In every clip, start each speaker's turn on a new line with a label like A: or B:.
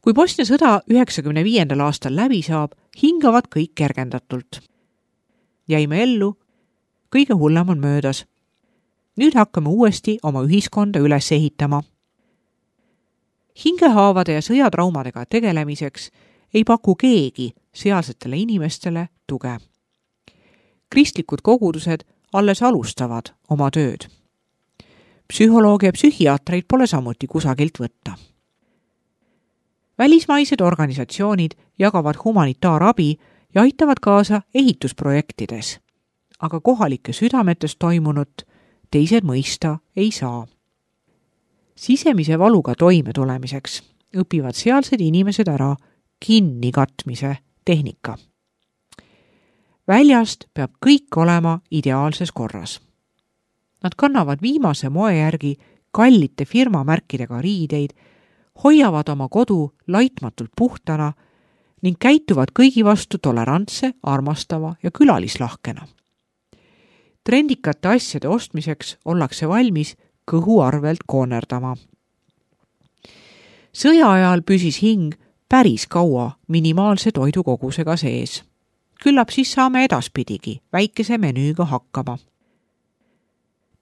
A: Kui Bosnia sõda 1995. aastal läbi saab, hingavad kõik kergendatult. Jäime ellu, kõige hullem on möödas. Nüüd hakkame uuesti oma ühiskonda üles ehitama. Hingehaavade ja sõjatraumadega tegelemiseks ei paku keegi sealsetele inimestele tuge. Kristlikud kogudused alles alustavad oma tööd. Psühholoogia ja psühhiaatreid pole samuti kusagilt võtta. Välismaised organisatsioonid jagavad humanitaarabi ja aitavad kaasa ehitusprojektides, aga kohalike südametes toimunut teised mõista ei saa. Sisemise valuga toime tulemiseks õpivad sealsed inimesed ära kinnikatmise tehnika. Väljast peab kõik olema ideaalses korras. Nad kannavad viimase moe järgi kallite firmamärkidega riideid, hoiavad oma kodu laitmatult puhtana ning käituvad kõigi vastu tolerantse, armastava ja külalislahkena. Trendikate asjade ostmiseks ollakse valmis kõhu arvelt koonerdama. Sõja ajal püsis hing päris kaua minimaalse toidukogusega sees. Küllap siis saame edaspidigi väikese menüüga hakkama.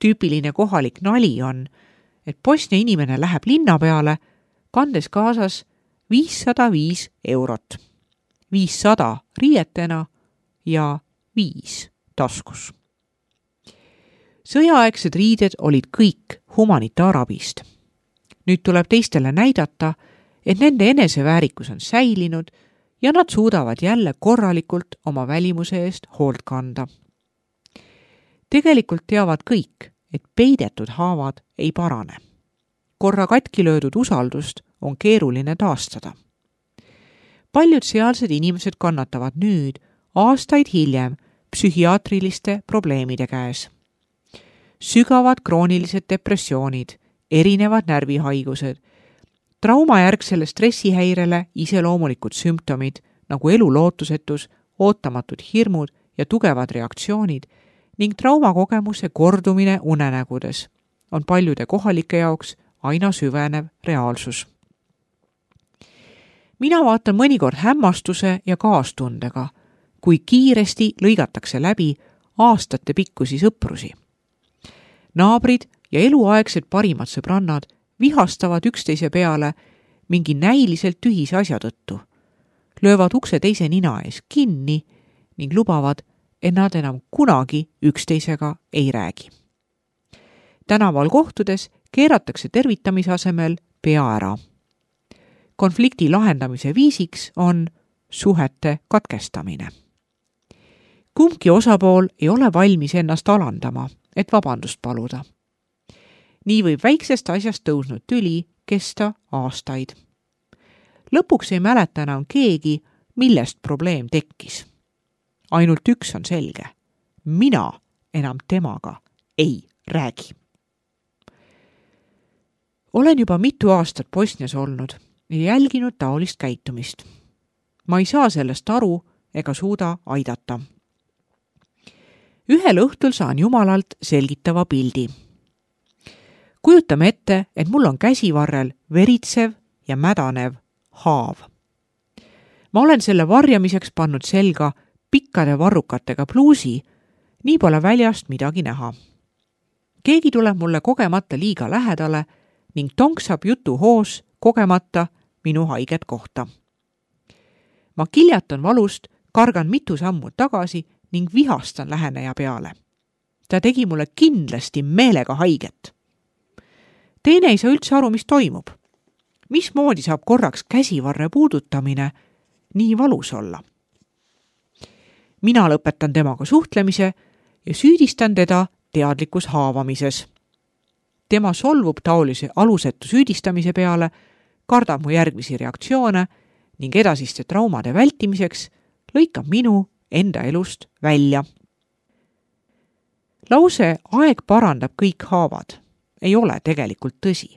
A: Tüüpiline kohalik nali on, et Bosnia inimene läheb linna peale, kandes kaasas 505 eurot. 500 riietena ja 5 taskus. Sõjaaegsed riided olid kõik humanitaarabist. Nüüd tuleb teistele näidata, et nende eneseväärikus on säilinud ja nad suudavad jälle korralikult oma välimuse eest hoolt kanda. Tegelikult teavad kõik, et peidetud haavad ei parane. Korra katki löödud usaldust on keeruline taastada. Paljud sealsed inimesed kannatavad nüüd, aastaid hiljem, psühhiaatriliste probleemide käes. Sügavad kroonilised depressioonid, erinevad närvihaigused, traumajärgsele stressihäirele iseloomulikud sümptomid nagu elulootusetus, ootamatud hirmud ja tugevad reaktsioonid ning traumakogemuse kordumine unenägudes on paljude kohalike jaoks aina süvenev reaalsus. Mina vaatan mõnikord hämmastuse ja kaastundega, kui kiiresti lõigatakse läbi aastate pikkusi sõprusi. Naabrid ja eluaegsed parimad sõbrannad vihastavad üksteise peale mingi näiliselt tühise asja tõttu, löövad ukse teise nina ees kinni ning lubavad, et nad enam kunagi üksteisega ei räägi. Tänaval kohtudes keeratakse tervitamise asemel pea ära. Konflikti lahendamise viisiks on suhete katkestamine. Kumbki osapool ei ole valmis ennast alandama, et vabandust paluda. Nii võib väiksest asjast tõusnud tüli kesta aastaid. Lõpuks ei mäleta enam keegi, millest probleem tekkis. Ainult üks on selge. Mina enam temaga ei räägi. Olen juba mitu aastat Bosnias olnud ja jälginud taolist käitumist. Ma ei saa sellest aru ega suuda aidata. Ühel õhtul saan Jumalalt selgitava pildi. Kujutame ette, et mul on käsivarrel veritsev ja mädanev haav. Ma olen selle varjamiseks pannud selga pikkade varrukatega pluusi, nii pole väljast midagi näha. Keegi tuleb mulle kogemata liiga lähedale ning tonksab jutu hoos kogemata minu haiget kohta. Ma kiljatan valust, kargan mitu sammu tagasi ning vihastan läheneja peale. Ta tegi mulle kindlasti meelega haiget. Teine ei saa üldse aru, mis toimub. Mismoodi saab korraks käsivarre puudutamine nii valus olla? Mina lõpetan temaga suhtlemise ja süüdistan teda teadlikus haavamises. Tema solvub taolise alusetu süüdistamise peale, kardab mu järgmisi reaktsioone ning edasiste traumade vältimiseks lõikab minu enda elust välja. Lause aeg parandab kõik haavad ei ole tegelikult tõsi.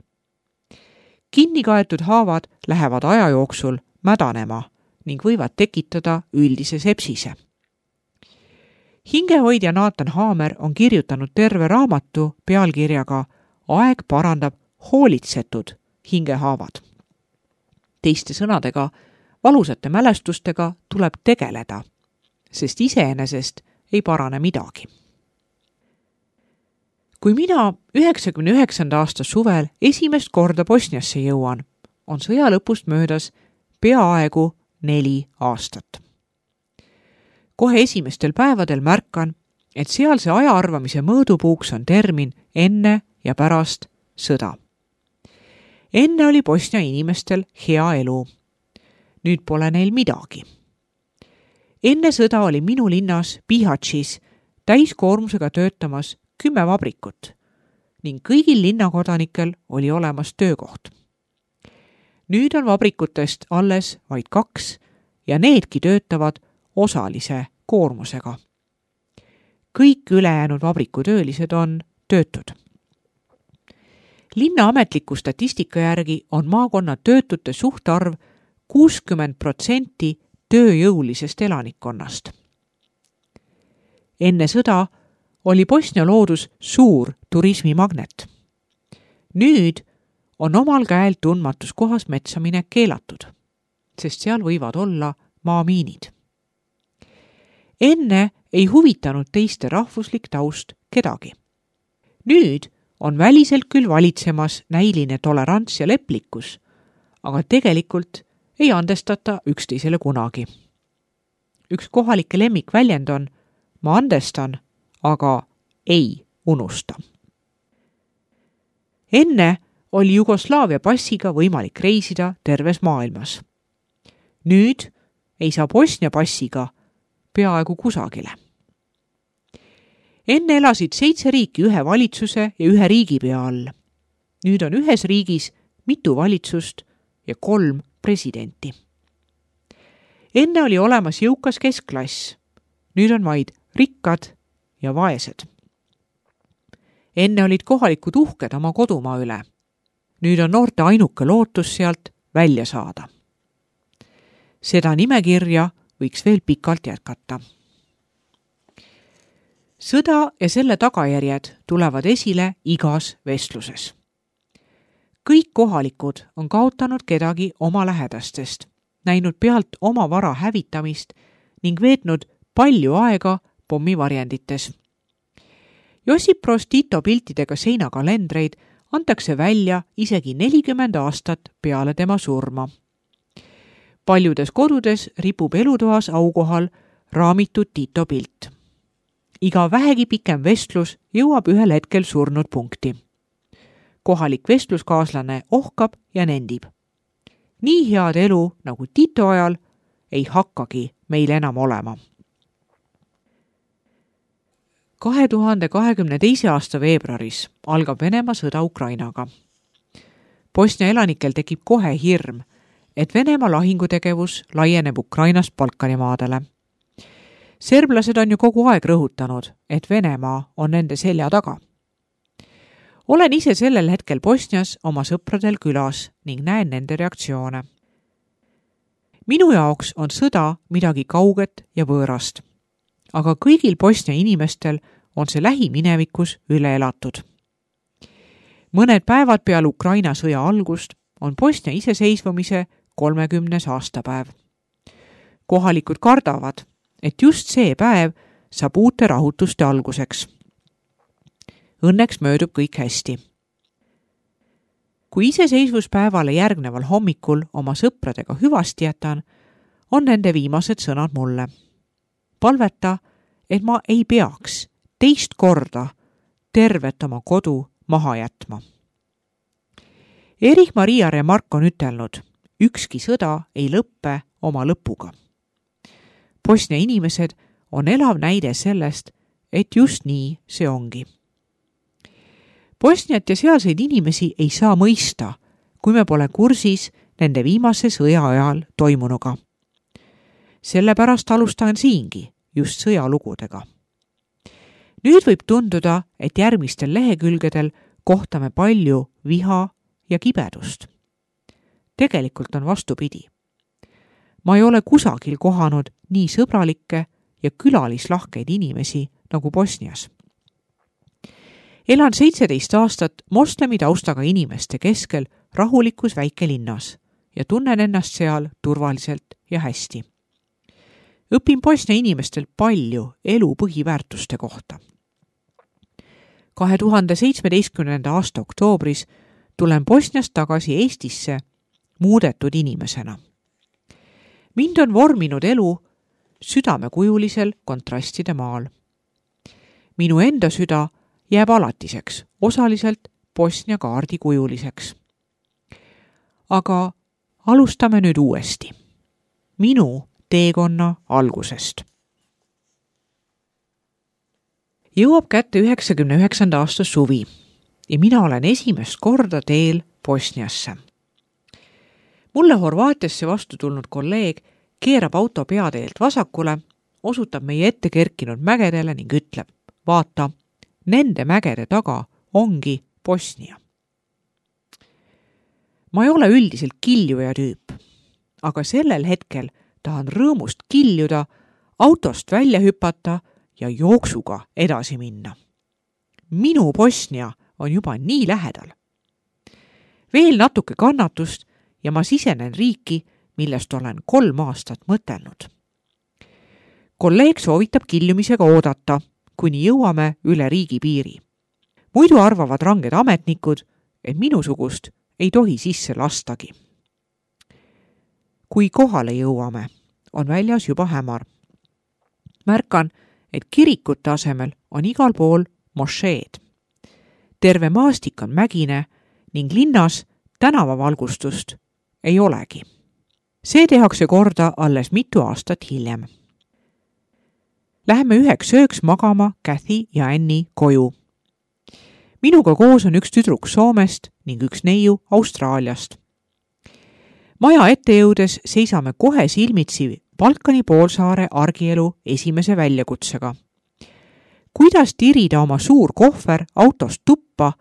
A: Kinnikaetud haavad lähevad aja jooksul mädanema ning võivad tekitada üldise sepsise. Hingehoidja Nathan Haamer on kirjutanud terve raamatu pealkirjaga Aeg parandab hoolitsetud hingehaavad. Teiste sõnadega, valusate mälestustega tuleb tegeleda, sest iseenesest ei parane midagi. Kui mina 99. aasta suvel esimest korda Bosniasse jõuan, on sõja lõpust möödas peaaegu 4 aastat. Kohe esimestel päevadel märkan, et sealse ajaarvamise mõõdupuuks on termin enne ja pärast sõda. Enne oli Bosnia inimestel hea elu. Nüüd pole neil midagi. Enne sõda oli minu linnas Bihaćis täiskoormusega töötamas 10 vabrikut ning kõigil linnakodanikel oli olemas töökoht. Nüüd on vabrikutest alles vaid 2 ja needki töötavad osalise koormusega. Kõik ülejäänud vabrikutöölised on töötud. Linna ametliku statistika järgi on maakonna töötute suhtarv 60% tööjõulisest elanikkonnast. Enne sõda oli Bosnia loodus suur turismimagnet. Nüüd on omal käel tundmatus kohas metsamine keelatud, sest seal võivad olla maamiinid. Enne ei huvitanud teiste rahvuslik taust kedagi. Nüüd on väliselt küll valitsemas näiline tolerants ja leplikkus, aga tegelikult ei andestata üksteisele kunagi. Üks kohalike lemmikväljend on ma andestan, aga ei unusta. Enne oli Jugoslaavia passiga võimalik reisida terves maailmas. Nüüd ei saa Bosnia passiga peaaegu kusagile. Enne elasid 7 riiki ühe valitsuse ja ühe riigipea all. Nüüd on ühes riigis mitu valitsust ja 3 presidenti. Enne oli olemas jõukas keskklass. Nüüd on vaid rikkad ja vaesed. Enne olid kohalikud uhked oma kodumaa üle. Nüüd on noorte ainuke lootus sealt välja saada. Seda nimekirja võiks veel pikalt jätkata. Sõda ja selle tagajärjed tulevad esile igas vestluses. Kõik kohalikud on kaotanud kedagi oma lähedastest, näinud pealt oma vara hävitamist ning veetnud palju aega pommivarjendites. Josip Broz Tito piltidega seinakalendreid antakse välja isegi 40 aastat peale tema surma. Paljudes kodudes ripub elutoas aukohal raamitud Tito pilt. Iga vähegi pikem vestlus jõuab ühel hetkel surnud punkti. Kohalik vestluskaaslane ohkab ja nendib. Nii head elu nagu Tito ajal ei hakkagi meil enam olema. 2022. aasta veebruaris algab Venemaa sõda Ukrainaga. Bosnia elanikel tekib kohe hirm, et Venemaa lahingutegevus laieneb Ukrainast Balkanimaadele. Serblased on ju kogu aeg rõhutanud, et Venemaa on nende selja taga. Olen ise sellel hetkel Bosnias oma sõpradel külas ning näen nende reaktsioone. Minu jaoks on sõda midagi kauget ja võõrast, aga kõigil Bosnia inimestel on see lähiminevikus üle elatud. Mõned päevad peale Ukraina sõja algust on Bosnia iseseisvumise 30. aastapäev. Kohalikud kardavad, et just see päev saab uute rahutuste alguseks. Õnneks möödub kõik hästi. Kui iseseisvuspäevale järgneval hommikul oma sõpradega hüvasti jätan, on nende viimased sõnad mulle. Palveta, et ma ei peaks teist korda tervet oma kodu maha jätma. Erich Maria Remarque on ütelnud, ükski sõda ei lõppe oma lõpuga. Bosnia inimesed on elav näide sellest, et just nii see ongi. Bosniat ja sealseid inimesi ei saa mõista, kui me pole kursis nende viimase sõja ajal toimunuga. Sellepärast alustan siingi just sõjalugudega. Nüüd võib tunduda, et järgmistel lehekülgedel kohtame palju viha ja kibedust. Tegelikult on vastupidi. Ma ei ole kusagil kohanud nii sõbralikke ja külalislahkeid inimesi nagu Bosnias. Elan 17 aastat moslemi taustaga inimeste keskel rahulikus väikelinnas ja tunnen ennast seal turvaliselt ja hästi. Õpin Bosnia inimestelt palju elu põhiväärtuste kohta. 2017. aasta oktoobris tulen Bosniast tagasi Eestisse muudetud inimesena. Mind on vorminud elu südamekujulisel kontrastide maal. Minu enda süda jääb alatiseks, osaliselt Bosnia kaardi kujuliseks. Aga alustame nüüd uuesti. Minu teekonna algusest. Jõuab kätte 99. aasta suvi ja mina olen esimest korda teel Bosniasse. Mulle Horvaatiasse vastu tulnud kolleeg keerab auto peateelt vasakule, osutab meie ette kerkinud mägedele ning ütleb, vaata, nende mägede taga ongi Bosnia. Ma ei ole üldiselt kiljuja tüüp, aga sellel hetkel tahan rõõmust kiljuda, autost välja hüpata ja jooksuga edasi minna. Minu Bosnia on juba nii lähedal. Veel natuke kannatust ja ma sisenen riiki, millest olen 3 aastat mõtelnud. Kolleeg soovitab kiljumisega oodata, kuni jõuame üle riigipiiri. Muidu arvavad ranged ametnikud, et minusugust ei tohi sisse lastagi. Kui kohale jõuame, on väljas juba hämar. Märkan, et kirikute asemel on igal pool mošeed. Terve maastik on mägine ning linnas tänavavalgustust ei olegi. See tehakse korda alles mitu aastat hiljem. Läheme üheks ööks magama Kathy ja Annie koju. Minuga koos on üks tüdruk Soomest ning üks neiu Austraaliast. Maja ette jõudes seisame kohe silmitsi Balkani poolsaare argielu esimese väljakutsega. Kuidas tirida oma suur kohver autost tuppa,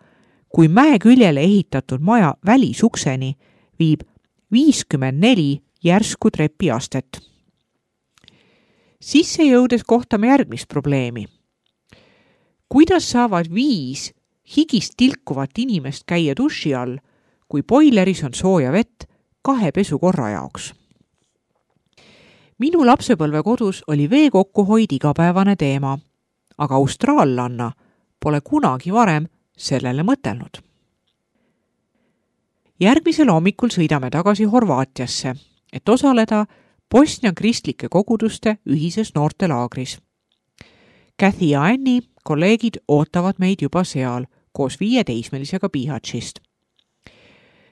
A: kui mäe küljele ehitatud maja välisukseni viib 54 järsku trepiastet. Sisse jõudes kohtame järgmist probleemi. Kuidas saavad 5 higist tilkuvat inimest käia duši all, kui boileris on sooja vett 2 pesukorra jaoks? Minu lapsepõlve kodus oli vee kokkuhoid igapäevane teema, aga austraallanna pole kunagi varem sellele mõtelnud. Järgmisel hommikul sõidame tagasi Horvaatiasse, et osaleda Bosnia kristlike koguduste ühises noortelaagris. Kathy ja Annie, kolleegid, ootavad meid juba seal koos 5 teismelisega Bihaćist.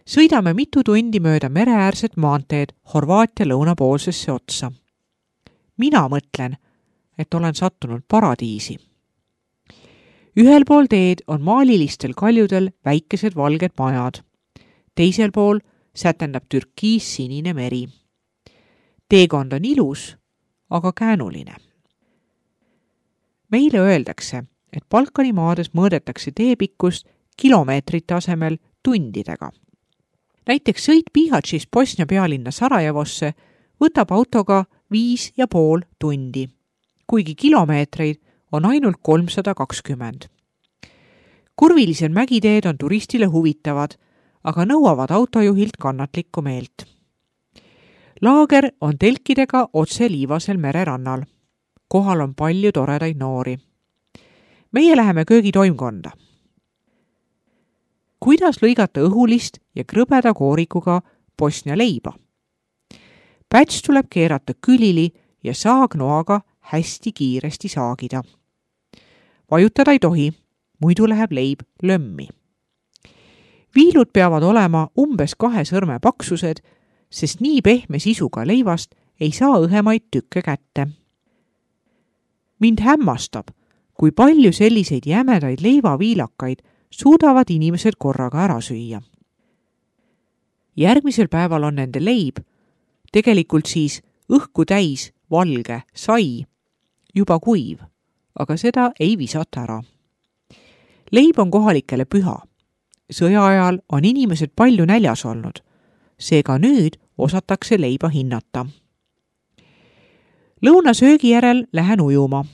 A: Sõidame mitu tundi mööda mereäärset maanteed Horvaatia lõunapoolsesse otsa. Mina mõtlen, et olen sattunud paradiisi. Ühel pool teed on maalilistel kaljudel väikesed valged majad. Teisel pool sätendab türkiis-sinine meri. Teekond on ilus, aga käänuline. Meile öeldakse, et Balkani maades mõõdetakse teepikkust kilomeetrite asemel tundidega. Näiteks sõit Bihaćist Bosnia pealinna Sarajevosse võtab autoga 5,5 tundi, kuigi kilomeetreid on ainult 320. Kurvilised mägiteed on turistile huvitavad, aga nõuavad autojuhilt kannatlikku meelt. Laager on telkidega otse liivasel mererannal. Kohal on palju toredaid noori. Meie läheme köögitoimkonda. Kuidas lõigata õhulist ja krõbeda koorikuga Bosnia leiba? Päts tuleb keerata külili ja saagnoaga hästi kiiresti saagida. Vajutada ei tohi, muidu läheb leib lömmi. Viilud peavad olema umbes 2 sõrme paksused, sest nii pehme sisuga leivast ei saa õhemaid tükke kätte. Mind hämmastab, kui palju selliseid jämedaid leivaviilakaid suudavad inimesed korraga ära süüa. Järgmisel päeval on nende leib, tegelikult siis õhku täis valge sai, juba kuiv, aga seda ei visata ära. Leib on kohalikele püha. Sõja ajal on inimesed palju näljas olnud, seega nüüd osatakse leiba hinnata. Lõunasöögi järel lähen ujuma.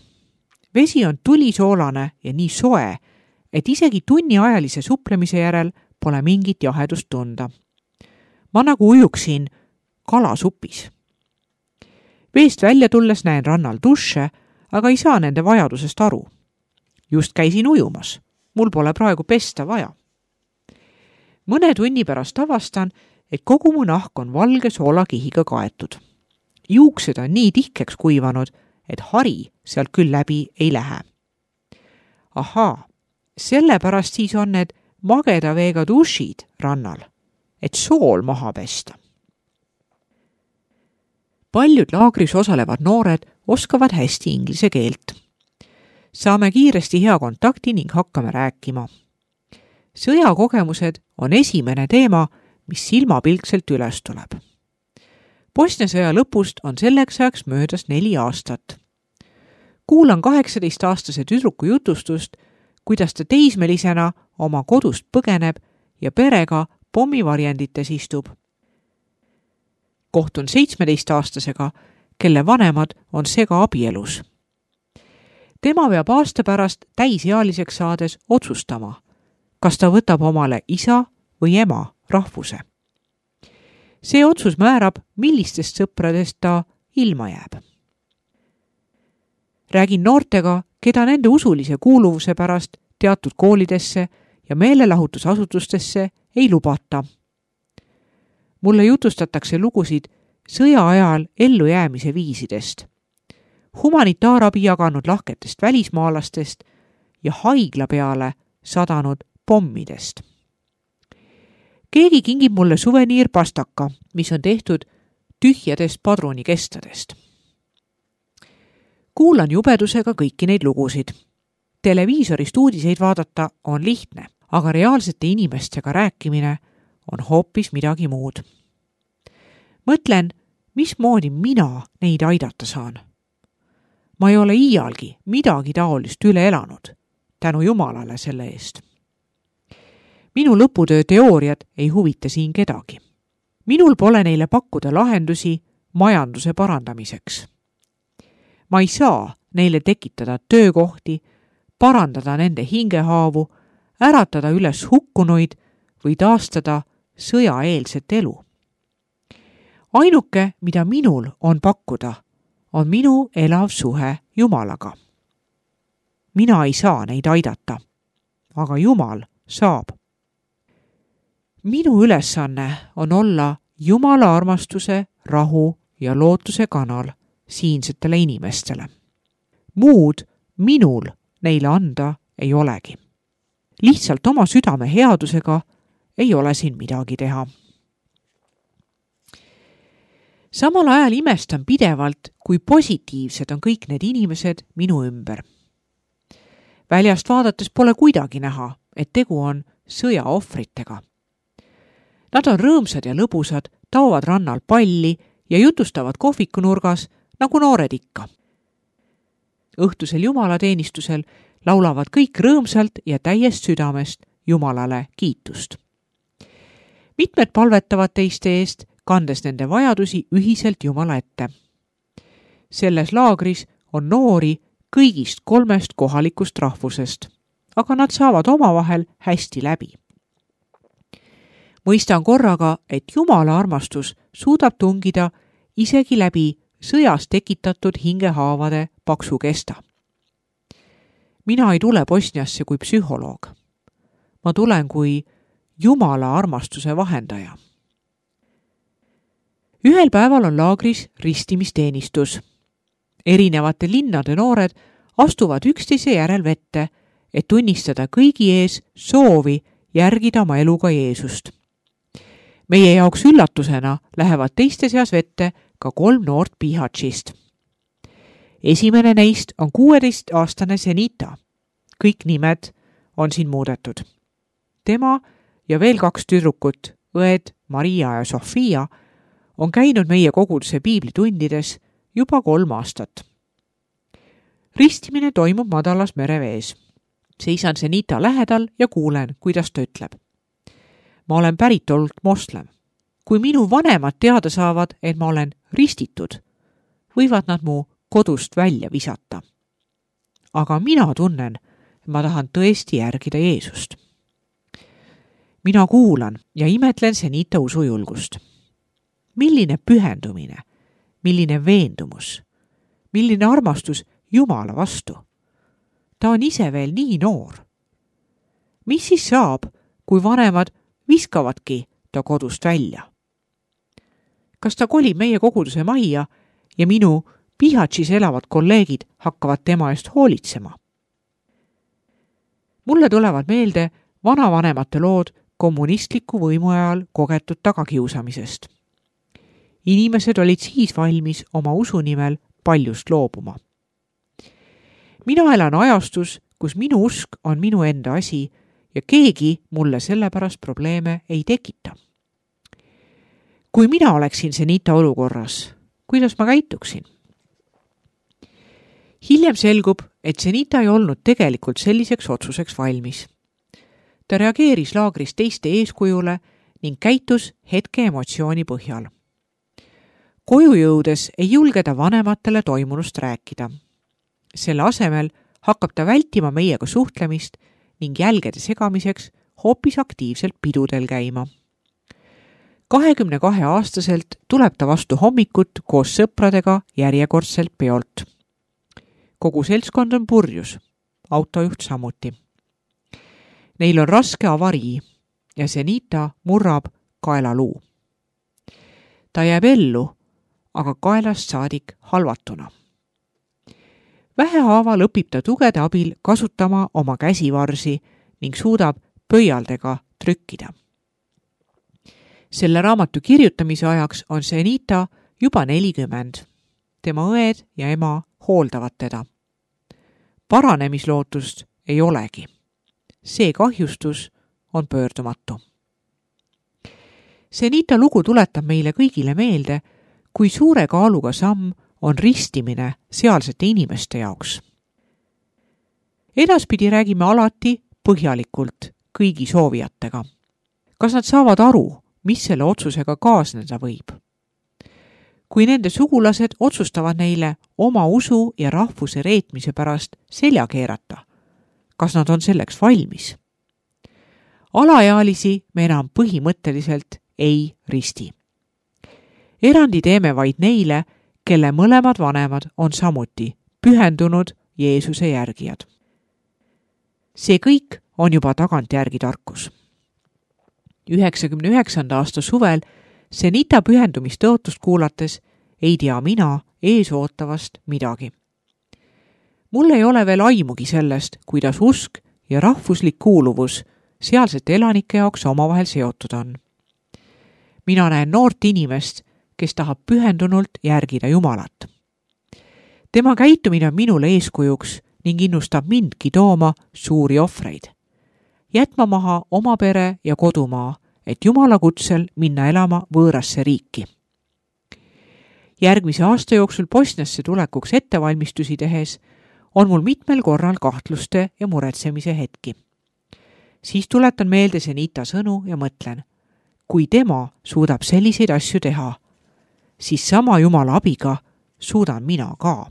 A: Vesi on tulisoolane ja nii soe, et isegi tunniajalise suplemise järel pole mingit jahedust tunda. ma nagu ujuksin kalasupis. Veest välja tulles näen rannal duše, aga ei saa nende vajadusest aru. Just käisin ujumas. Mul pole praegu pesta vaja. Mõne tunni pärast avastan, et kogu mu nahk on valge soolakihiga kaetud. Juuksed on nii tihkeks kuivanud, et hari sealt küll läbi ei lähe. Ahaa, sellepärast siis on need mageda veega dušid rannal, et sool maha pesta. Paljud laagris osalevad noored oskavad hästi inglise keelt. Saame kiiresti hea kontakti ning hakkame rääkima. Sõjakogemused on esimene teema, mis silmapilkselt üles tuleb. Bosnia sõja lõpust on selleks ajaks möödas 4 aastat. Kuulan 18-aastase tüdruku jutustust, kuidas ta teismelisena oma kodust põgeneb ja perega pommivarjendites istub. Kohtun 17-aastasega, kelle vanemad on segaabielus. Tema peab aasta pärast täisealiseks saades otsustama, kas ta võtab omale isa või ema rahvuse. See otsus määrab, millistest sõpradest ta ilma jääb. Räägin noortega, keda nende usulise kuuluvuse pärast teatud koolidesse ja meelelahutusasutustesse ei lubata. Mulle jutustatakse lugusid sõja ajal ellujäämise viisidest, humanitaarabi jaganud lahketest välismaalastest ja haigla peale sadanud pommidest. Keegi kingib mulle suveniirpastaka, mis on tehtud tühjadest padrunikestadest. Kuulan jubedusega kõiki neid lugusid. Televiisorist uudiseid vaadata on lihtne, aga reaalsete inimestega rääkimine on hoopis midagi muud. Mõtlen, mismoodi mina neid aidata saan. Ma ei ole iialgi midagi taolist üle elanud, tänu Jumalale selle eest. Minu lõputöö teooriad ei huvita siin kedagi. Minul pole neile pakkuda lahendusi majanduse parandamiseks. Ma ei saa neile tekitada töökohti, parandada nende hingehaavu, äratada üles hukkunuid või taastada sõjaeelset elu. Ainuke, mida minul on pakkuda, on minu elav suhe Jumalaga. Mina ei saa neid aidata, aga Jumal saab. Minu ülesanne on olla Jumala armastuse, rahu ja lootuse kanal siinsetele inimestele. Muud minul neile anda ei olegi. Lihtsalt oma südame headusega ei ole siin midagi teha. Samal ajal imestan pidevalt, kui positiivsed on kõik need inimesed minu ümber. Väljast vaadates pole kuidagi näha, et tegu on sõjaohvritega. Nad on rõõmsad ja lõbusad, taovad rannal palli ja jutustavad kohvikunurgas nagu noored ikka. Õhtusel jumalateenistusel laulavad kõik rõõmsalt ja täiest südamest Jumalale kiitust. Mitmed palvetavad teiste eest, kandes nende vajadusi ühiselt Jumala ette. Selles laagris on noori kõigist 3 kohalikust rahvusest, aga nad saavad omavahel hästi läbi. Mõistan korraga, et Jumala armastus suudab tungida isegi läbi sõjas tekitatud hingehaavade paksu kesta. Mina ei tule Bosniasse kui psühholoog. Ma tulen kui Jumala armastuse vahendaja. Ühel päeval on laagris ristimisteenistus. Erinevate linnade noored astuvad üksteise järel vette, et tunnistada kõigi ees soovi järgida oma eluga Jeesust. Meie jaoks üllatusena lähevad teiste seas vette ka 3 noort Bihaćist. Esimene neist on 16-aastane Zenita. Kõik nimed on siin muudetud. Tema ja veel 2 tüdrukut, õed Maria ja Sofia, on käinud meie koguduse piiblitundides juba 3 aastat. Ristimine toimub madalas merevees. Seisan Zenita lähedal ja kuulen, kuidas ta ütleb. Ma olen päritolult moslem. Kui minu vanemad teada saavad, et ma olen ristitud, võivad nad mu kodust välja visata. Aga mina tunnen, et ma tahan tõesti järgida Jeesust. mina kuulan ja imetlen Zenita usujulgust. Milline pühendumine, milline veendumus, milline armastus Jumala vastu. Ta on ise veel nii noor. Mis siis saab, kui vanemad viskavadki ta kodust välja? Kas ta kolib meie koguduse majja ja minu Pihatšis elavad kolleegid hakkavad tema eest hoolitsema? Mulle tulevad meelde vanavanemate lood kommunistliku võimu ajal kogetud tagakiusamisest. Inimesed olid siis valmis oma usu nimel paljust loobuma. Mina elan ajastus, kus minu usk on minu enda asi ja keegi mulle sellepärast probleeme ei tekita. Kui mina oleksin Zenita olukorras, kuidas ma käituksin? Hiljem selgub, et Zenita ei olnud tegelikult selliseks otsuseks valmis. Ta reageeris laagris teiste eeskujule ning käitus hetke emotsiooni põhjal. Koju jõudes ei julge ta vanematele toimunust rääkida. Selle asemel hakkab ta vältima meiega suhtlemist ning jälgede segamiseks hoopis aktiivselt pidudel käima. 22-aastaselt tuleb ta vastu hommikut koos sõpradega järjekordselt peolt. Kogu seltskond on purjus, autojuht samuti. Neil on raske avarii ja Zenita murrab kaelaluu. Ta jääb ellu, aga kaelast saadik halvatuna. Vähehaaval õpib ta tugede abil kasutama oma käsivarsi ning suudab pöialdega trükkida. Selle raamatu kirjutamise ajaks on Zenita juba 40. Tema õed ja ema hooldavad teda. Paranemislootust ei olegi. See kahjustus on pöördumatu. Zenita lugu tuletab meile kõigile meelde, kui suure kaaluga samm on ristimine sealsete inimeste jaoks. Edaspidi räägime alati põhjalikult kõigi soovijatega. Kas nad saavad aru, mis selle otsusega kaasneda võib? Kui nende sugulased otsustavad neile oma usu ja rahvuse reetmise pärast selja keerata, kas nad on selleks valmis? Alaealisi me enam põhimõtteliselt ei risti. Erandi teeme vaid neile, kelle mõlemad vanemad on samuti pühendunud Jeesuse järgijad. See kõik on juba tagantjärgi tarkus. 99. aasta suvel Zenita pühendumistõotust kuulates ei tea mina eesootavast midagi. Mul ei ole veel aimugi sellest, kuidas usk ja rahvuslik kuuluvus sealsete elanike jaoks omavahel seotud on. Mina näen noort inimest, kes tahab pühendunult järgida Jumalat. Tema käitumine on minule eeskujuks ning innustab mindki tooma suuri ohvreid. Jätma maha oma pere ja kodumaa, et Jumala kutsel minna elama võõrasse riiki. Järgmise aasta jooksul Bosniasse tulekuks ettevalmistusi tehes on mul mitmel korral kahtluste ja muretsemise hetki. Siis tuletan meelde Zenita sõnu ja mõtlen, kui tema suudab selliseid asju teha, siis sama Jumala abiga suudan mina ka.